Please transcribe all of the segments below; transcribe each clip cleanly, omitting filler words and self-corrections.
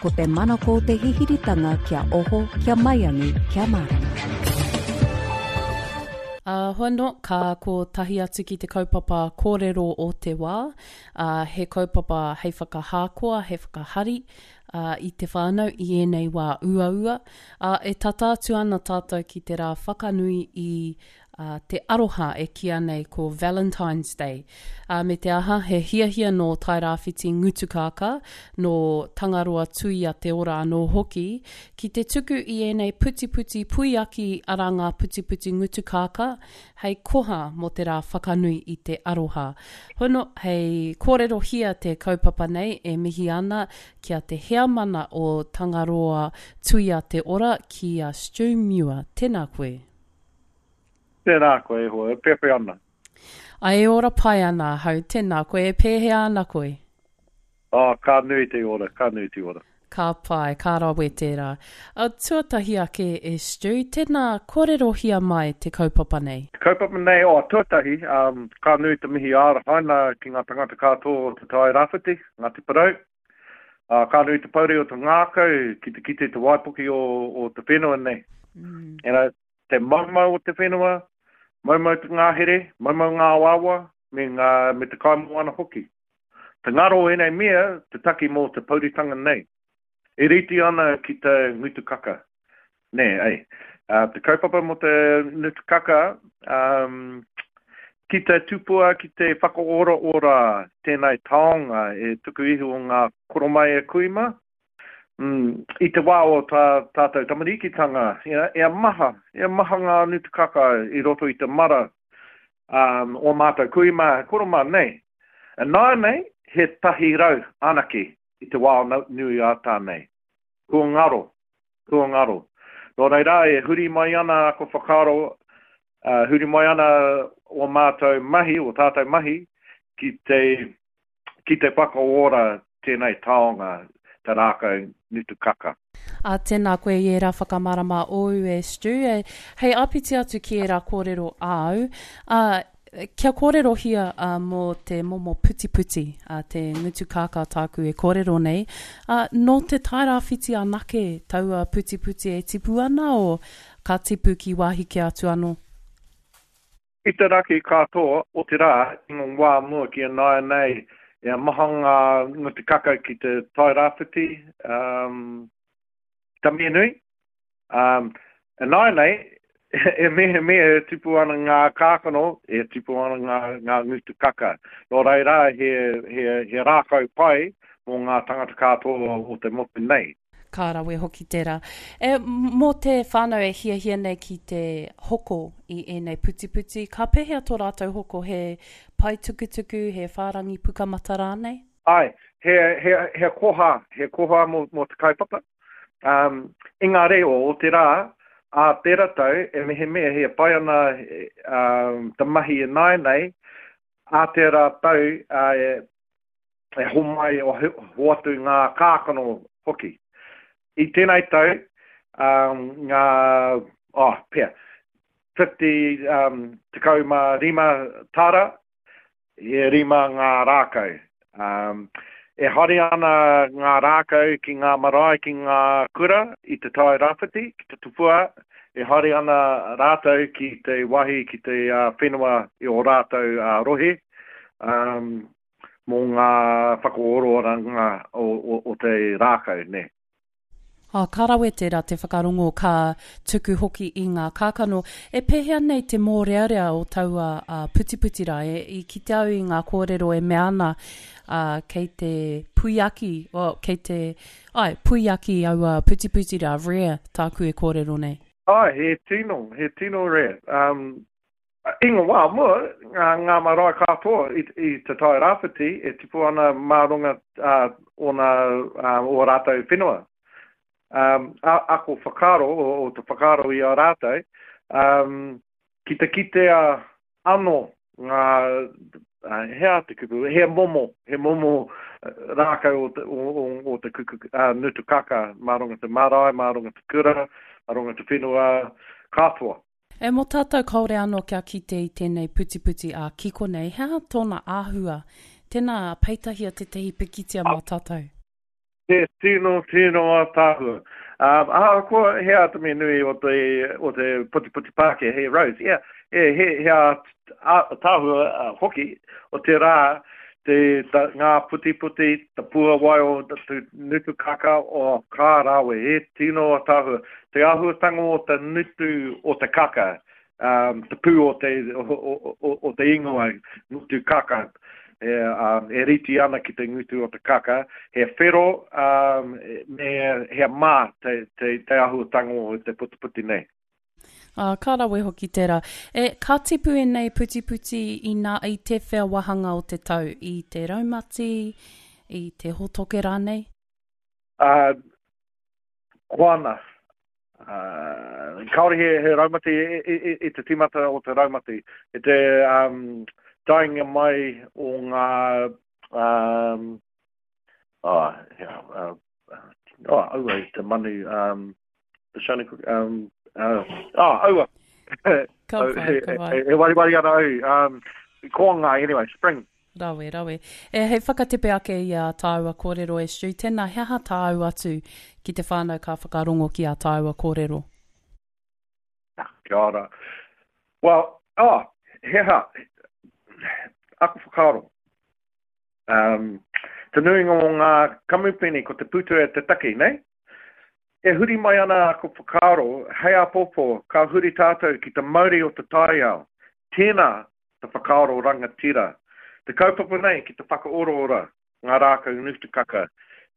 Ko te manako o te hihiritanga kia oho, kia maiangi, kia mārama. Ā, hoano, ka kotahi atu ki te kaupapa kōrero o te wā, ā, he kaupapa hei whakahākoa, hei whakahari, ā, i te whānau i ēnei wā uaua, ā, e tata atu ana tātou ki te rā whakanui i ā, te aroha e kīa nei ko Valentine's Day. Ā, me te aha, he hiahia nō Tairāwhiti Ngutukākā, nō Tangaroa Tuia Te Ora anō hoki, ki te tuku i ēnei putiputi puiaki arā ngā putiputi ngutukākā, hei koha mō te rā whakanui i te aroha. Hono, hei kōrerohia te kaupapa nei e mihi ana ki a te heamana o Tangaroa Tuia Te Ora ki a Stu Muir. Tēnā koe. Tēnā koe e hoa, e pepe ana. Ai e ora pai ana ahau, tēnā koe, e pēhea ana koe? Oh, ka nui te ora, ka nui te ora. Ka pai, ka rawe tērā. Uh, tuatahi ake e Stu, tēnā kōrerohia mai te kaupapa nei. Te kaupapa nei, oh, tuatahi, um, ka nui te mihi ārahaina ki ngā tangata katoa o Te Tai Rāwhiti, Ngāti Porou. Uh, ka nui te pouri o te ngākau ki te kite te waipuki o, o te whenua nei. Mm. You know, te maumau o te whenua, maumau te ngahere, maumau ngā awaawa, me, ngā, me te kaimoana hoki. Te ngaro o ēnei mea, te taki mō te pouritanga nei. E rite ana ki te ngutu kaka. Nē, ei. Uh, te kaupapa mō te ngutu kaka, um, ki te tupua, ki te whakaoraora tēnei taonga e tuku iho o ngā koromai e kui mā, Mm, i te wā o tā tātou tamarikitanga, you know, ea maha, ea maha ngā nutukaka i roto i te mara um, o mātou kui mā, koro mā nei. Nāianei, he 100 anake i te wā o nui ā tā nei. Kua ngaro, kua ngaro. Nō reira, e huri mai ana aku whakaaro, uh, huri mai ana o mātou mahi, o tātou mahi, ki te ki te whakaora tēnei taonga, te rākau ngutukaka. Ā, tēnā koe i ērā whakamārama ōu e Stu, e, hei āpiti atu ki ērā kōrero āu, ā, kia kōrerohia ā, mō te momo putiputi, ā, te ngutukākā tāku e kōrero nei, ā, nō te Tairāwhiti anake taua putiputi e tipu ana o ka tipu ki wāhi kē atu anō? I te raki katoa o te rā i ngā wā mua ki ināianei, e maha ngā ngutu kaka ki te Tai Rāwhiti, um, Tamianui. Um, ināianei, e mehemea e tupu ana ngā kākano, e tupu ana ngā, ngā ngutu kaka. Nō reira, he, he, he rākau pai mō ngā tangata katoa o te motu nei. Ka rawe hoki tērā. E, mō te whānau e hiahia nei ki te hoko i ēnei putiputi, ka pēhea tō rātou hoko? He pae tukutuku, he whārangi pukamata rānei? Āe, he, he, he koha, he koha mō, mō te kaupapa. Um, i ngā reo o te rā, ā tērā tau, e mehemea he pai ana um, te mahi ināianei, ā tērā tau, ā, e, e homai, o hoatu ngā kākano hoki. I tēnei tau, um, ngā, oh, pea, 50, um, 15 tāra, e rima ngā rākau. Um, e haere ana ngā rākau ki ngā marae, ki ngā kura i te Tai Rāwhiti, ki te tupua, e haere ana rātou ki te wahi, ki te uh, whenua i o rātou uh, rohe. Um, mō ngā whakaorooranga o, o, o te rākau, nē. Oh, ka rawe tērā te whakarongo ka tuku hoki i ngā kākano. E pēhea nei te mōrearea o taua uh, putiputi rā? E, i kite au i ngā kōrero e mea ana uh, kei te puiaki, oh, kei te, ai, puiaki aua putiputi rā, rare tāku e kōrero nei. Ai, he tino, he tino rare. Um, I ngā wā mua, ngā, ngā marae katoa i, i Te Tai Rāwhiti e tipu ana mā runga uh, ōna, uh, o rātou whenua. Um, a, ako whakaaro, o, o te whakaaro i a rātou, um, ki te kitea anō ngā, uh, he aha te kupu, he momo, he momo rākau o te, o, o, o te kuku, uh, ngutu kaka mā runga te marae, mā runga te kura, mā runga te whenua katoa. E mō tātou kāore anō kia kite i tēnei putiputi ā-kiko nei, he aha tōna āhua? Tēnā, peitahia tētahi pikitia mā tātou. He tino, tino ātaahua. Um, ahakoa he atamai nui o te, o te putiputi Pākehā, he rose, yeah, he, he, he ātaahua uh, hoki o te rā, te, ta, ngā putiputi, te puawai o te ngutu kaka o kā rawe, he tino ātaahua. Te āhuatanga o te ngutu o te kaka, um, te pū o te, o, o, o, o te ingoa, ngutu kaka, e, um, e riti ana ki te ngutu o te kaka, he whero um, me he mā te, te, te ahuatanga o te putiputi nei. Ā, ka rawe hoki tērā. E, ka tipu ēnei putiputi i nā, i tēwhea wāhanga o te tau? I te raumati, i te hōtoke rānei? Ā, koana. Uh, kāore he, he raumati i, i, i, i te tīmata o te raumati. I te um, taenga mai o ngā um, oh, yeah, uh, oh, aua, te manu, um, the shiny, um, uh, oh, aua. Ka pai, ka pai. E, e wariwari ana au. Um, koanga, anyway, spring. Rawe, rawe. E, hei whakatepe ake i ā tāua kōrero e Stu, tēnā, he aha tāu atu ki te whānau ka whakarongo ki ā tāua kōrero? Kia ora. Well, oh, he aha, aku whakaaro. Um, te nuinga o ngā kamupene ko te pūtea te take, nei? E huri mai ana aku whakaaro, hei āpōpō, ka huri tātou ki te mauri o te taiao. Tēnā te whakaaro rangatira. Te kaupapa nei ki te whakaoraora ngā rākau ngutukaka,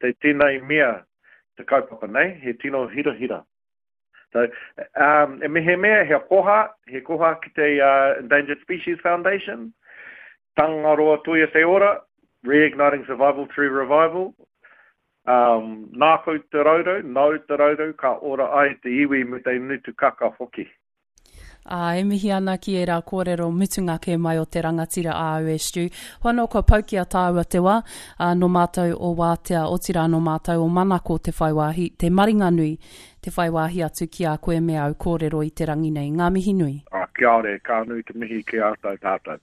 te tēnei mea te kaupapa nei, he tino hirahira. So, um, e mehemea he koha, he koha ki te uh, Endangered Species Foundation, Tangaroa Toia Te Ora, Reigniting Survival Through Revival, um, nākou te raurau, nāu te raurau, ka ora ai te iwi me te ngutukaka hoki. Ā, e mihi ana ki ērā kōrero mutunga kē mai o te rangatira āu e Stu. Hoi anō kua pau ki a tāua te wā, ā, nō mātou o Wātea, otirā nō mātou o Manako te whai wāhi, te maringanui, te whai wāhi atu ki a koe me āu kōrero i te rangi nei. Ngā mihi nui. Ā, kia ora, ka nui te mihi ki a tātou.